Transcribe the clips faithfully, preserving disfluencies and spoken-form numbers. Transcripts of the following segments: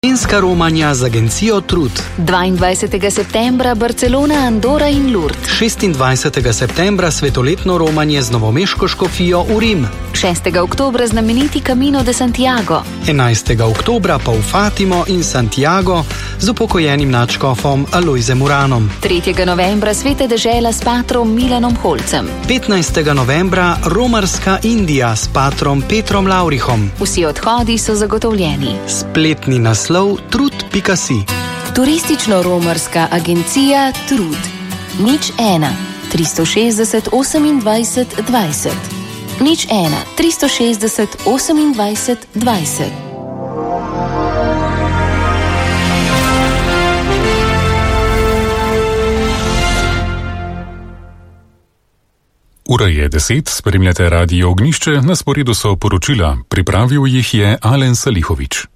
Slovenska romanja z agencijo Trud. dvaindvajsetega septembra Barcelona, Andora in Lourdes. šestindvajsetega septembra svetoletno romanje z novomeško škofijo v Rim. šestega oktobra znameniti Camino de Santiago. enajstega oktobra pa v Fatimo in Santiago z upokojenim nadškofom Alojzem Uranom. tretjega novembra sveta dežela s patrom Milanom Holcem. petnajstega novembra romarska Indija s patrom Petrom Laurihom. Vsi odhodi so zagotovljeni. Spletni naslov trud pika si. Turistično-romarska agencija Trud. Nič ena, tristo šestdeset, osemindvajset, dvajset. Nič ena, tristo šestdeset, osemindvajset, dvajset. Ura je deset, spremljate Radio Ognjišče, na sporedu so poročila, pripravil jih je Alen Salihovič.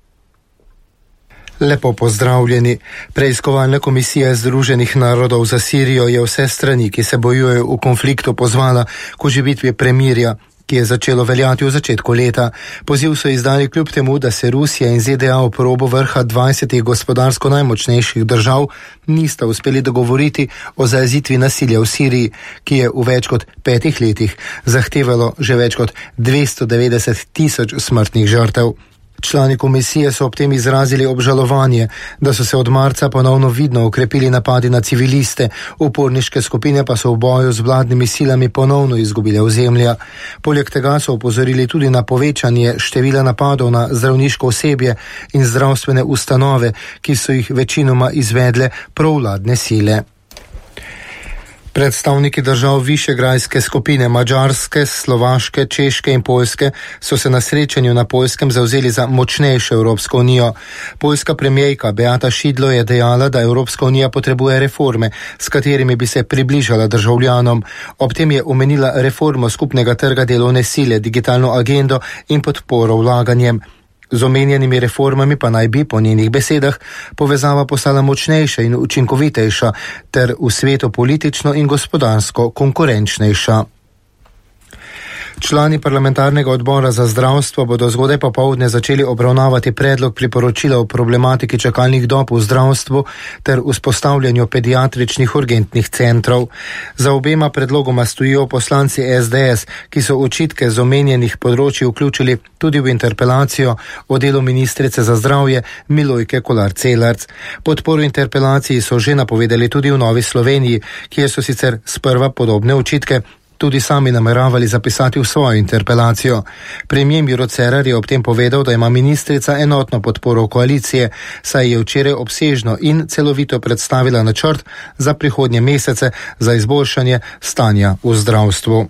Lepo pozdravljeni. Preiskovalna komisija Združenih narodov za Sirijo je vse strani, ki se bojujejo v konfliktu, pozvala k oživitvi premirja, ki je začelo veljati v začetku leta. Poziv so izdali kljub temu, da se Rusija in Z D A v probo vrha dvajsetih gospodarsko najmočnejših držav nista uspeli dogovoriti o zajezitvi nasilja v Siriji, ki je v več kot petih letih zahtevalo že več kot dvesto devetdeset tisoč smrtnih žrtev. Člani komisije so ob tem izrazili obžalovanje, da so se od marca ponovno vidno ukrepili napadi na civiliste, uporniške skupine pa so v boju z vladnimi silami ponovno izgubile ozemlja. Poleg tega so opozorili tudi na povečanje števila napadov na zdravniško osebje in zdravstvene ustanove, ki so jih večinoma izvedle provladne sile. Predstavniki držav Višegrajske skupine Madžarske, Slovaške, Češke in Poljske so se na srečanju na Poljskem zavzeli za močnejšo Evropsko unijo. Poljska premijerka Beata Šidlo je dejala, da Evropska unija potrebuje reforme, s katerimi bi se približala državljanom. Ob tem je omenila reformo skupnega trga delovne sile, digitalno agendo in podporo vlaganjem. Z omenjenimi reformami pa naj bi, po njenih besedah, povezava postala močnejša in učinkovitejša ter v svetu politično in gospodarsko konkurenčnejša. Člani parlamentarnega odbora za zdravstvo bodo zgodaj popoldne začeli obravnavati predlog priporočila o problematiki čakalnih dob v zdravstvu ter vzpostavljanju pediatričnih urgentnih centrov. Za obema predlogoma stojijo poslanci S D S, ki so očitke z omenjenih področij vključili tudi v interpelacijo o delu ministrice za zdravje Milojke Kolar Celarc. Podporo interpelaciji so že napovedali tudi v Novi Sloveniji, kjer so sicer sprva podobne očitke tudi sami nameravali zapisati v svojo interpelacijo. Premier Miro Cerar je ob tem povedal, da ima ministrica enotno podporo koalicije, saj je včeraj obsežno in celovito predstavila načrt za prihodnje mesece za izboljšanje stanja v zdravstvu.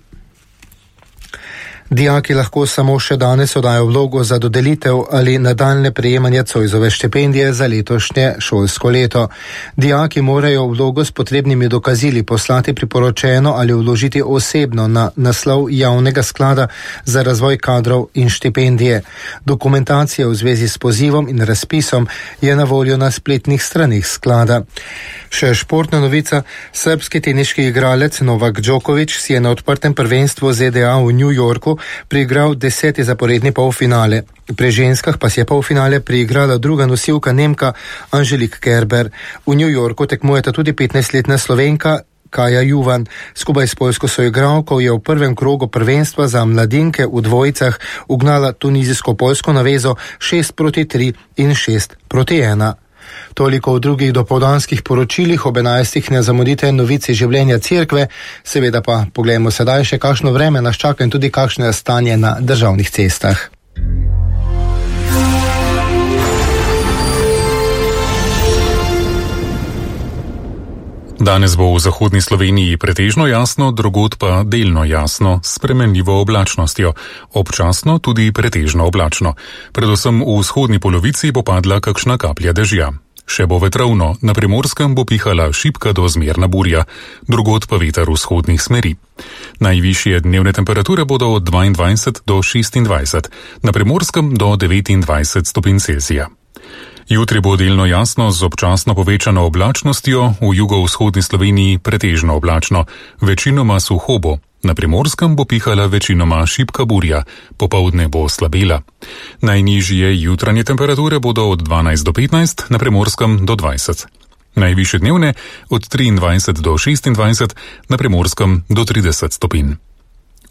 Dijaki lahko samo še danes oddajo vlogo za dodelitev ali nadaljne prejemanje Zoisove štipendije za letošnje šolsko leto. Dijaki morajo vlogo s potrebnimi dokazili poslati priporočeno ali vložiti osebno na naslov javnega sklada za razvoj kadrov in štipendije. Dokumentacija v zvezi s pozivom in razpisom je na voljo na spletnih stranih sklada. Še športna novica, srbski teniški igralec Novak Djokovic si je na odprtem prvenstvu Z D A v New Yorku priigral deseti zaporedni polfinale. Pri ženskah pa si je polfinale priigrala druga nosilka Nemka Angelique Kerber. V New Yorku tekmujeta tudi petnajstletna Slovenka Kaja Juvan. Skupaj s poljsko soigralko je v prvem krogu prvenstva za mladinke v dvojicah ugnala tunizijsko-poljsko navezo šest proti tri in šest proti ena. Toliko v drugih dopoldanskih poročilih, ob enajstih ne zamudite novici življenja cerkve, seveda pa pogledamo sedaj še kakšno vreme nas čaka in tudi kakšno je stanje na državnih cestah. Danes bo v zahodni Sloveniji pretežno jasno, drugod pa delno jasno, s spremenljivo oblačnostjo. Občasno tudi pretežno oblačno. Predvsem v vzhodni polovici bo padla kakšna kaplja dežja. Še bo vetrovno, na Primorskem bo pihala šibka do zmerna burja, drugod pa veter vzhodnih smeri. Najvišje dnevne temperature bodo od dvaindvajset do šestindvajset, na Primorskem do devetindvajset stopinj Celzija. Jutri bo delno jasno z občasno povečano oblačnostjo, v jugovzhodni Sloveniji pretežno oblačno, večinoma suho bo. Na Primorskem bo pihala večinoma šibka burja, popoldne bo slabela. Najnižje jutranje temperature bodo od dvanajst do petnajst, na Primorskem do dvajset. Najvišje dnevne od triindvajset do šestindvajset, na Primorskem do trideset stopinj.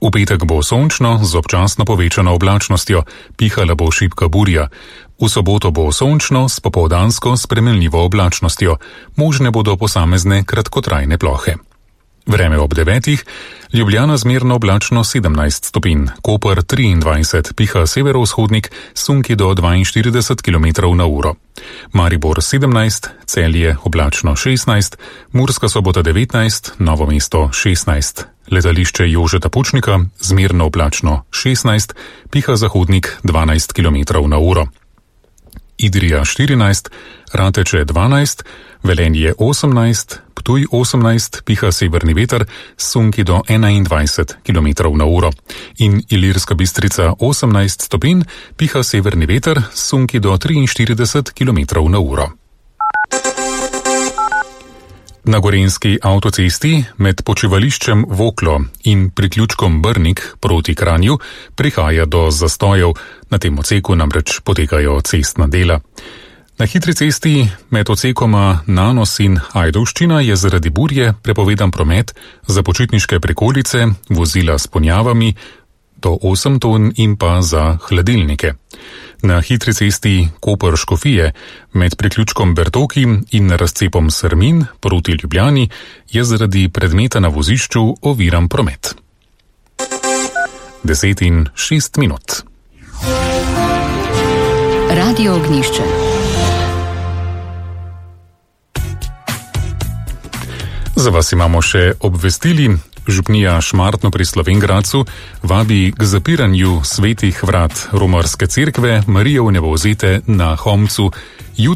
V petek bo sončno z občasno povečano oblačnostjo, pihala bo šibka burja. V soboto bo sončno s popoldansko spremenljivo oblačnostjo, možne bodo posamezne kratkotrajne plohe. Vreme ob devetih, Ljubljana zmerno oblačno sedemnajst stopinj, Koper triindvajset, piha severovzhodnik, sunki do dvainštirideset kilometrov na uro. Maribor sedemnajst, Celje oblačno šestnajst, Murska Sobota devetnajst, Novo mesto šestnajst. Letališče Jožeta Pučnika zmerno oblačno šestnajst, piha zahodnik dvanajst kilometrov na uro. Idrija štirinajst, Rateče dvanajst, Velenje osemnajst, Ptuj osemnajst, piha severni veter, sunki do enaindvajset kilometrov na uro. In Ilirska Bistrica osemnajst stopinj, piha severni veter, sunki do triinštirideset kilometrov na uro. Na gorenjski avtocesti med počivališčem Voklo in priključkom Brnik proti Kranju prihaja do zastojev, na tem odseku namreč potekajo cestna dela. Na hitri cesti med odsekoma Nanos in Ajdovščina je zaradi burje prepovedan promet za počitniške prikolice, vozila s ponjavami do osem ton in pa za hladilnike. Na hitri cesti Koper-Škofije med priključkom Bertoki in razcepom Srmin proti Ljubljani je zaradi predmeta na vozišču oviran promet. Deset in šest minut. Radio Ognjišče. Za vas imamo še obvestili. Župnija Šmartno pri Slovenj Gradcu vabi k zapiranju svetih vrat romarske cerkve Marije Vnebovzete na Homcu jutri